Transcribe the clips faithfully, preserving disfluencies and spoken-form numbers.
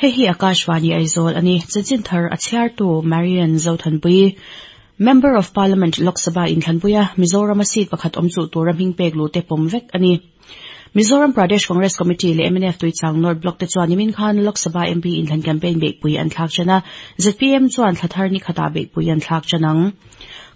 Hei hi Akashvani Aizawl ani chanchin thar a chhiartu Marian Zothanpui Member of Parliament Lok Sabha inthlanpuia Mizoram a seat pakhat awm chu tura hming pek lu te pawm vek ani Mizoram Pradesh Congress Committee leh M N F Tuichang North Block te chuan nimin khan Lok Sabha M P inthlan campaign beihpui an thlak chana Z P M chuan thlathar ni khata beihpui an thlak chanang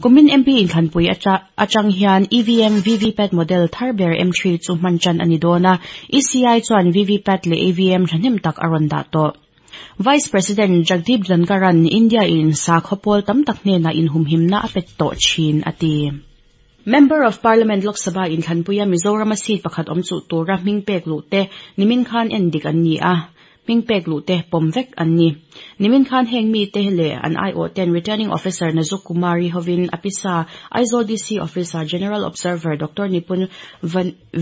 Kumin M P inthlanpui atang hian E V M V V PAT model tharber M three chu hman chan ani dona E C I chuan V V PAT leh E V M thahnem tak a rawn dah tawh Vice President Jagdeep Dhankaran India in sakhopol tam tak hnena in humhimna a pet tawh thin ati Member of Parliament Lok Sabha inthlanpuia Mizoram a seat pakhat awm chu tura hming pek lu te nimin khan en dik an ni a hming pek lu te pawm vek an ni nimin khan heng mi te le an I O ten Returning Officer Nazuk Kumari hovin apisa Aizawl D C Officer General Observer Doctor Nipun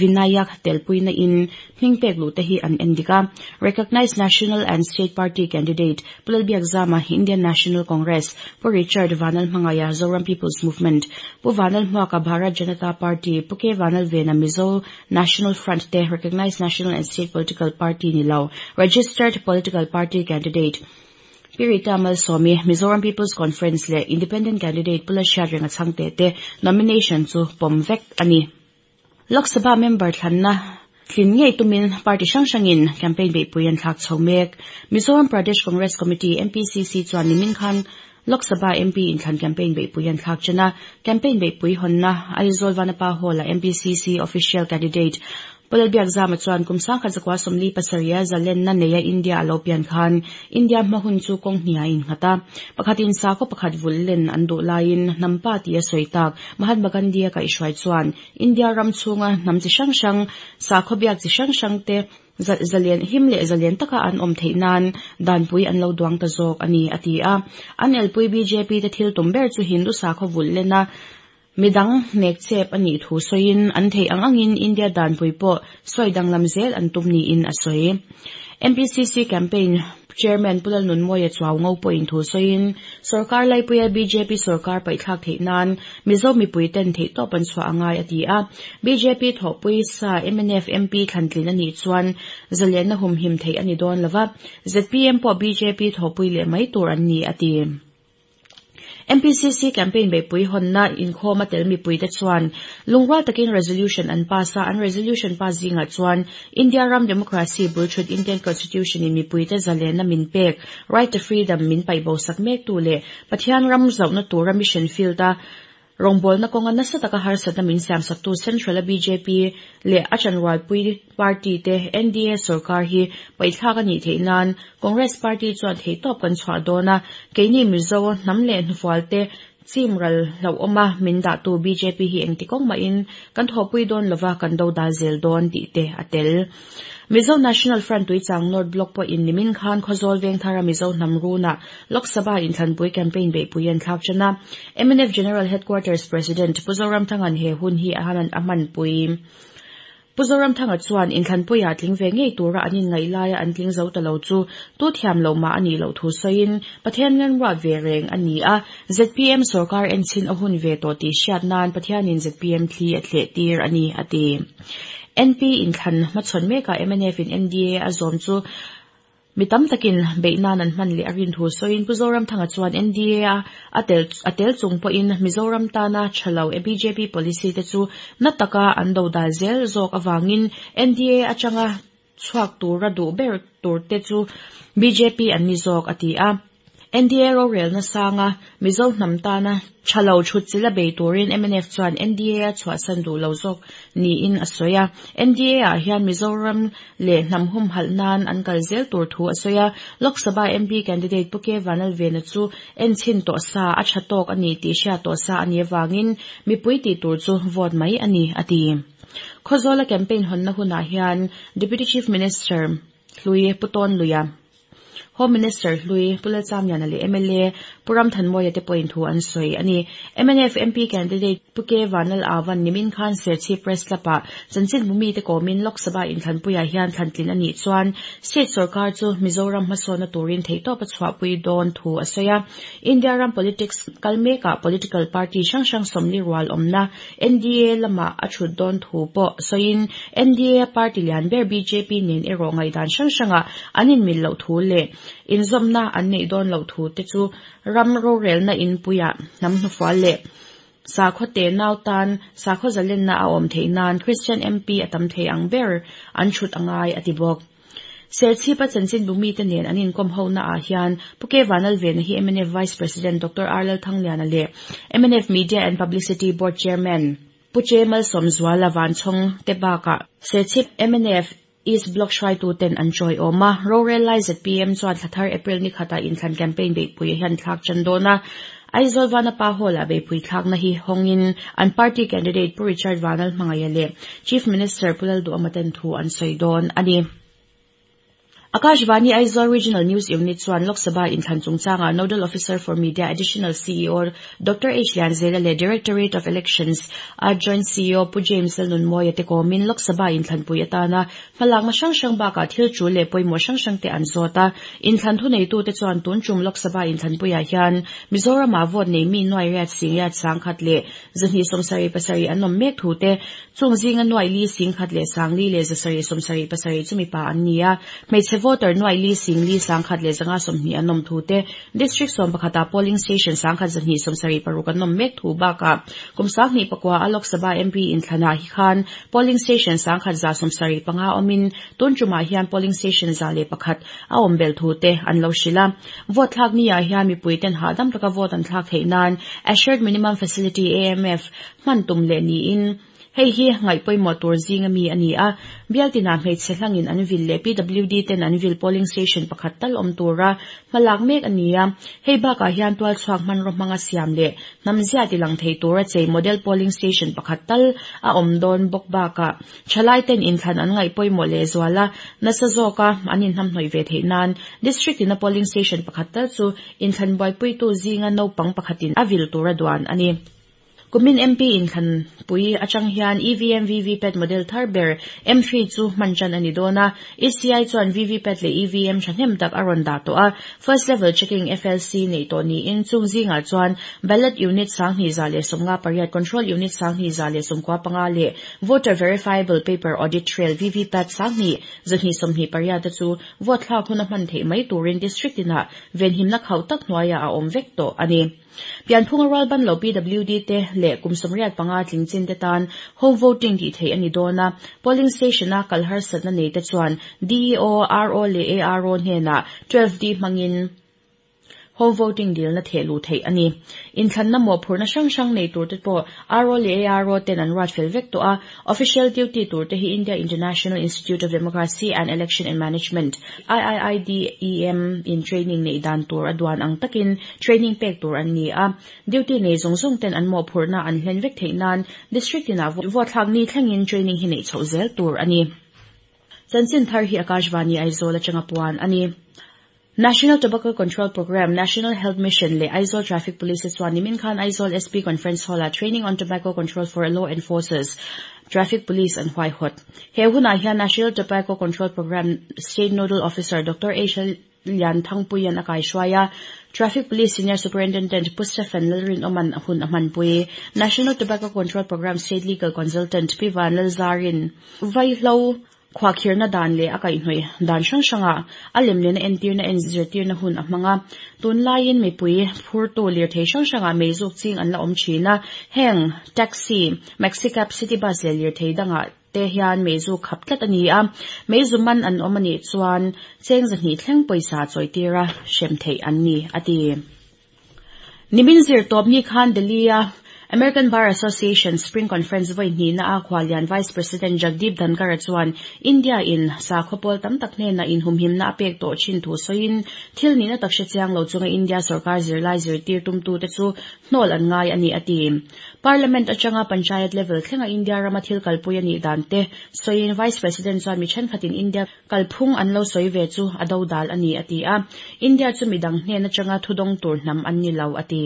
Vinayak telpuina in hming pek lu te hi an endika Recognized National and State Party Candidate Pulalbiak Zama Indian National Congress Pu Richard Vanal Hmangaya Zoram People's Movement Pu Vanal Hmuaka Bharat Janata Party Pu K Vanal Vena Mizo National Front te Recognized National and State Political Party nilo Registered Political Party Candidate Pirita Malsawmi Mizoram People's Conference le Independent Candidate Pula Hriatrenga Chhangte te nomination chu pawm vek ani Lok Sabha member thlanna thlin ngei tumin party hrang hrangin campaign beihpui an thlak chho mek Mizoram Pradesh Congress Committee M P C C chuan nimin khan Lok Sabha M P inthlan campaign beihpui an thlak chana campaign beihpui hawnna Aizawl Vanapa Hall a M P C C official candidate Pulalbiak Zama chuan kumsang khat zakwa sawmli pasarih zalenna neia India a lo pian khan India hmahun chu kawng hnia in nghata pakhatin sakhaw pakhat vullen an duh laiin hnampa ti a sawi tak Mahatma Gandhi a kaihhruai chuan India ram chhunga hnam chi hrang hrang sakhaw biak chi hrang hrang te zalen him leh zalen taka an awm theih nan danpui an lo duang ta zawk ani a ti a an elpui B J P te thil tum ber chu Hindu sakhaw vullena midang nek chep ani thu soin an thei ang angin India danpui pawh sawi danglam zel an tum niin a sawi M P C C campaign chairman Pulal Nunmawia chuaw ngo pawhin thu sawiin sarkar laipuia B J P sarkar paithlak theih nan Mizo mipui ten theih tawp an chhuah angai a ti a B J P thawhpui sa M N F M P thlantlin ani chuan zalenna humhim theih ani dawn lova Z P M pawh B J P thawhpui leh mai tur an ni a ti M P C C campaign beihpui hawnna inkhawm a tel mipui te chuan lungrual takin resolution an pass a an resolution pass zingah chuan India ram democracy bulthut Indian Constitution in mipui te zalenna min pek right to freedom min paihbo sak mek tu leh Pathian ram zauhna tura mission field a rawngbawlna kawnga nasa taka harsatna min siam sak tu Central a B J P leh a chanrualpui party te N D A sarkar hi paithlak ani theih nan Congress party chuan theih tawp kan chhuah dawn a keini Mizo hnam leh hnufual te chimral hlauhawma min dah tu B J P hi engti kawng mahin kan thawhpui dawn lova kan do dal zel dawn tih te a tel Mizo National Front Tuichang North Block pawh in nimin khan Khawzawl Vengthara Mizo hnam runa Lok Sabha inthlanpui campaign beihpui an thlak chana M N F General Headquarters President Pu Zoramthanga'n he hun hi a hanan a hmanpui Pu Zoramthanga chuan inthlanpuia tling ve ngei tura an in ngaih laia an tling zo ta lo chu tu thiam lo ma ani lo thu sawiin Pathian ngan ruat ve reng ani a Z P M sarkar en chin a hun ve tawh tih hriat nan Pathianin Z P M thli a thleh tir ani a ti N P inthlan hmachhawn mekah M N F in N D A a zawm chu mitam takin beihnan an hman leh a rin thu sawiin Pu Zoramthanga chuan N D A a tel a tel chung pawhin Mizoram tana thalo B J P policy te chu na taka an do dal zel zawk awangin N D A atanga chhuak tura duh ber tur te chu B J P an ni zawk a ti a N D A rorelna sanga Mizo hnam tana thalo thut chila bei turin M N F chuan N D A a chhuahsan duh lo zawk niin a sawi a N D A ah hian Mizoram leh hnam hum halh nan an kal zel tur thu a sawi a Lok Sabha M P candidate Pu K Vanal Vena chu en chin tawh sa a tha tawk ani tih hriat tawh sa ani awangin mipui tih tur chu vote mai ani a ti Khawzawla campaign hawnna hunah hian Deputy Chief Minister Hlui Puton Luia Home Minister Hlui Pu Lalchamliana leh M L A Pu Ramthanmawia te pawhin thu an sawi ani. M N F M P candidate Pu K Vanlal Avan nimin khan Serchhip Press Club-ah chanchin bumi te kawmin Lok Sabha inthlanpuiah hian thlantlin ani chuan state sarkar chu Mizoram hmasawnna turin theihtawp a chhuahpui dawn thu a sawi a. India ram politics kal mekah political party hrang hrang sawmli rual awmna N D A lama a thut dawn thu pawh sawiin N D A party lian ber B J P nen erawh ngaihdan hrang hranga an inmil loh thu leh inzawmna an neih dawn loh thu te chu ram rorelna inpuiah hnam hnufual leh sakhaw te nau tan sakhaw zalenna a awm theih nan Christian M P a tam thei ang ber an thut angai a ti bawk. Serchhip a chanchin bumi te nen an inkawm ho na ah hian Pu K Vanlalvena hi M N F Vice President Doctor R Lalthangliana leh M N F Media and Publicity Board Chairman Pu Che Malsawmzuala Vanchhawng te bakah Serchhip M N F East Block hruaitu ten an chawi awm a. Rorel lai Z P M chuan thlathar April ni khata inthlan campaign beihpui hian thlak chan dawn a. Aizawl Vanapa Hall-ah beihpui thlakna hi hawngin an party candidate Pu Richard Vanlalhmangaiha leh Chief Minister Pu Lalduhoma ten thu an sawi dawn ani. Akashvani Aizawl Regional News Unit chuan Lok Sabha inthlan chungchanga Nodal Officer for Media Additional C E O Doctor H Lianzela leh Directorate of Elections a Joint C E O Pu James Lalnunmawia te kawmin Lok Sabha inthlanpui atana hmalakna hrang hrang bakah thil tul leh pawimawh hrang hrang te an zawt a. Inthlan thu neitu te chuan tun tum Lok Sabha inthlanpuiah hian Mizoramah vote nei mi nuai riat sing riat sangkhat leh zahnih sawmsarih pasarih an awm mek thu te, chung zinga nuai li singkhat leh sangli leh zasarih sawmsarih pasarih chu mipa an ni a, hmeichhe voter nuai li singli sangkhat leh zanga sawmhnih an awm thu te, district sawm pakhata polling station sangkhat zahnih sawmsarih paruk an awm mek thu bakah kum sanghnih pakua a Lok Sabha M P inthlanah hi khan polling station sangkhat za sawmsarih panga awmin tun tumah hian polling station za leh pakhat a awm bel thu te an lo hrilh a. Vote thlak ni ah hian mipui ten hahdam taka vote an thlak theih nan Assured Minimum Facility A M F hman tum leh niin hei hi ngaih pawimawh tur zinga mi ani a. Bial tinah hmeichhe hlangin an vil leh P W D ten an vil polling station pakhat tal awm tura hmalak mek ani a. Hei bakah hian tual chhuak hmanraw hmanga siam leh hnamzia tilang thei tura chei model polling station pakhat tal a awm dawn bawk bakah thalai ten inthlan an ngaih pawimawh leh zuala nasa zawka an inhnamhnawih ve theih nan district ina polling station pakhat tal chu inthlan buaipuitu zinga naupang pakhatin a vil tura duan ani. Kumin M P inthlanpui atang hian E V M V V PAT model thar ber M three chu hman chan ani dawn a. E C I chuan V V PAT leh E V M thahnem tak a rawn dah tawh a. First Level Checking F L C nei tawh niin chung zingah chuan ballot unit sanghnih za leh sawmnga pariat, control unit sanghnih za leh sawmkua panga leh voter verifiable paper audit trail V V PAT sanghnih zahnih sawmhnih pariat te chu vote thlak hun a hman theih mai turin district inah venhimna khauh tak hnuaiah a awm vek tawh ani. Pianphunga rual ban lo P W D te leh kum sawmriat panga tling chin te tan home voting tih theih ani dawn a. Polling station a kal harsatna nei te chuan D E O, R O leh A R O hnenah twelve D hmangin home voting dilna thehluh theih ani. Inthlanna mawhphurhna hrang hrang nei tur te pawh R O leh A R O ten an ruat fel vek tawh a. Official duty tur te hi India International Institute of Democracy and Election and Management I I I D E M in training nei dan tur a duan ang takin training pek tur an ni a. Duty nei zawng zawng ten an mawhphurhna an hlen vek theih nan district inah vote thlak ni thlengin training hi neih chhoh zel tur ani. Chanchin thar hi Akashvani Aizawl atanga puan ani. National Tobacco Control Program, National Health Mission leh Aizawl Traffic Police chuan nimin khan Aizawl S P Conference Hall-a Training on Tobacco Control for Law Enforcers Traffic Police an huaihawt. He hunah hian National Tobacco Control Program State Nodal Officer Doctor H Lian Thangpuian a kaihruai a. Traffic Police Senior Superintendent Pu Stephen Lalrin Oman hun a hmanpui. National Tobacco Control Program State Legal Consultant Pi Van Lalzarin vaihlo khuahkhirhna dan leh a kaihhnawih dan hrang hranga a lem lehna entirna en zirtirna hun a hmang a. Tunlaiin mipui phurtu lirthei hrang hrangah meizuk ching an la awm thin a. Heng taxi, maxi cab, city bus leh lirthei dangah te hian meizuk khap tlat ani a. Meizu man an awm anih chuan cheng zahnih thleng pawisa chawi tira hrem theih an ni a ti. Nimin zir tawp ni khan Delhi a American Bar Association Spring Conference voi ni na a khwalian Vice President Jagdeep Dhankhar chuan India in sa khopol tam tak hne na in humhim na apek to chin thu soin thil ni na takshe chiang lo chunga India sarkar zirlai zir tir tum tu te chu hnol an ngai ani ati Parliament atanga panchayat level thlenga India rama thil kalpui ani dan te soin Vice President chuan mi then khatin India kalphung an lo soi ve chu ado dal ani ati a India chu midang hne na changa thudong tur nam an ni lo ati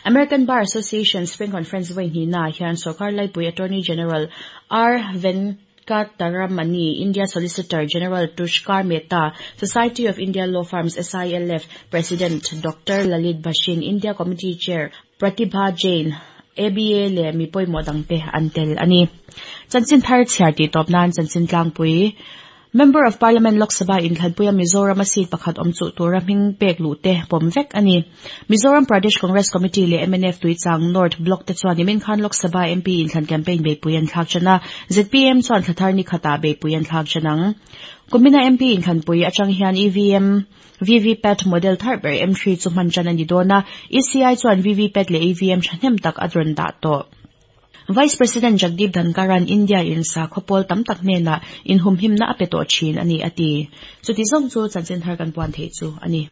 American Bar Association Spring Conference voi ni na hian sarkar laipui Attorney General R Venkataramani India Solicitor General Tushar Mehta Society of India Law Firms S I L F President Doctor Lalit Bhasin India Committee Chair Pratibha Jain A B A le mi pawimawh te an tel ani chanchin thar chhiar ti tawp nan chanchin tlangpui Member of Parliament Lok Sabha in Thlanpuia Mizoram a seat pakhat awm chu tura hming pek lu te pawm vek ani Mizoram Pradesh Congress Committee le M N F Tuichang North Block te chuan nimin khan Lok Sabha M P in thlan campaign beipui an thlak chana Z P M chuan thlathar ni khata beipui an thlak chanang Kumina M P in Thlanpui atang hian E V M V V PAT model thar ber M three chu hman chan ani dona E C I chuan V V PAT le E V M thahnem tak adron da to Vice President Jagdeep Dhankaran India in sa khopol tam tak hne na in humhim na ape to chin ani ati chuti zong chu chanchin thar kan puan thei chu ani.